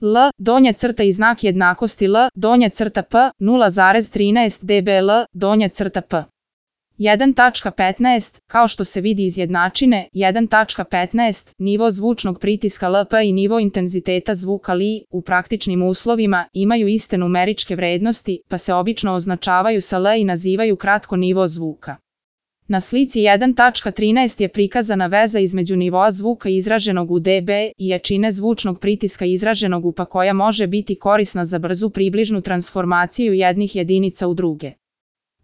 L, donja crta i znak jednakosti L, donja crta P, 0,13 dBl, donja crta P. 1.15, kao što se vidi iz jednačine, 1.15, nivo zvučnog pritiska LP i nivo intenziteta zvuka LI u praktičnim uslovima imaju iste numeričke vrednosti, pa se obično označavaju sa L i nazivaju kratko nivo zvuka. Na slici 1.13 je prikazana veza između nivoa zvuka izraženog u dB i jačine zvučnog pritiska izraženog u Pa koja može biti korisna za brzu približnu transformaciju jednih jedinica u druge.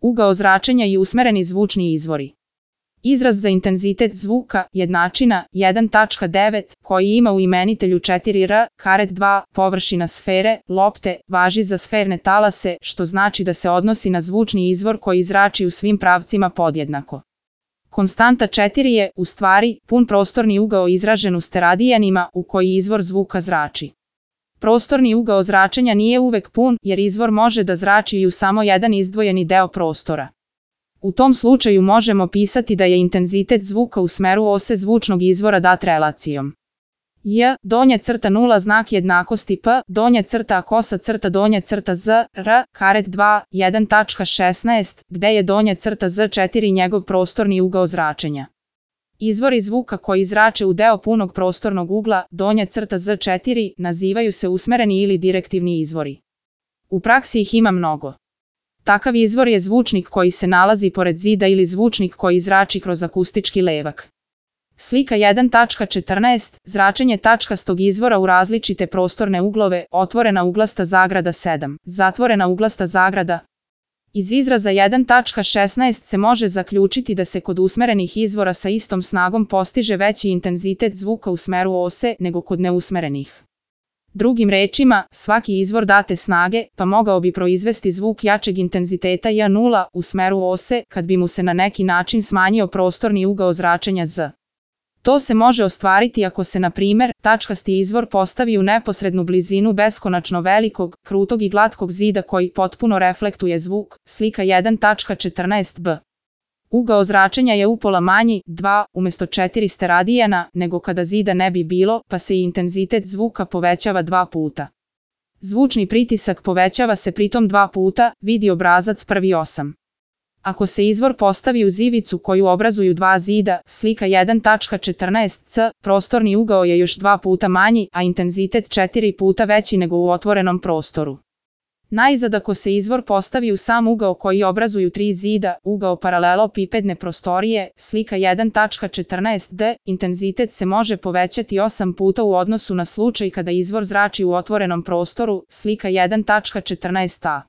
Ugao zračenja i usmereni zvučni izvori. Izraz za intenzitet zvuka, jednačina, 1.9, koji ima u imenitelju 4R, karet 2, površina sfere, lopte, važi za sferne talase, što znači da se odnosi na zvučni izvor koji zrači u svim pravcima podjednako. Konstanta 4 je, u stvari, pun prostorni ugao izražen u steradijanima u koji izvor zvuka zrači. Prostorni ugao zračenja nije uvek pun, jer izvor može da zrači i u samo jedan izdvojeni deo prostora. U tom slučaju možemo pisati da je intenzitet zvuka u smeru ose zvučnog izvora dat relacijom. J, donja crta 0 znak jednakosti P, donja crta A kosa crta donja crta Z, R, karet 2, 1.16, gde je donja crta Z4 njegov prostorni ugao zračenja. Izvori zvuka koji zrače u deo punog prostornog ugla, donja crta Z4, nazivaju se usmereni ili direktivni izvori. U praksi ih ima mnogo. Takav izvor je zvučnik koji se nalazi pored zida ili zvučnik koji zrači kroz akustički levak. Slika 1.14, zračenje tačkastog izvora u različite prostorne uglove, otvorena uglasta zagrada 7, zatvorena uglasta zagrada. Iz izraza 1.16 se može zaključiti da se kod usmerenih izvora sa istom snagom postiže veći intenzitet zvuka u smeru ose nego kod neusmerenih. Drugim rečima, svaki izvor date snage, pa mogao bi proizvesti zvuk jačeg intenziteta J0 u smeru ose kad bi mu se na neki način smanjio prostorni ugao zračenja Z. To se može ostvariti ako se, na primjer, tačkasti izvor postavi u neposrednu blizinu beskonačno velikog, krutog i glatkog zida koji potpuno reflektuje zvuk, slika 1.14b. Ugao zračenja je upola manji, 2, umjesto 4 steradijana, nego kada zida ne bi bilo, pa se i intenzitet zvuka povećava 2 puta. Zvučni pritisak povećava se pritom 2 puta, vidi obrazac 1.8. Ako se izvor postavi u ivicu koju obrazuju dva zida, slika 1.14c, prostorni ugao je još 2 puta manji, a intenzitet 4 puta veći nego u otvorenom prostoru. Najzad, ako se izvor postavi u sam ugao koji obrazuju 3 zida, ugao paralelopipedne prostorije, slika 1.14d, intenzitet se može povećati 8 puta u odnosu na slučaj kada izvor zrači u otvorenom prostoru, slika 1.14a.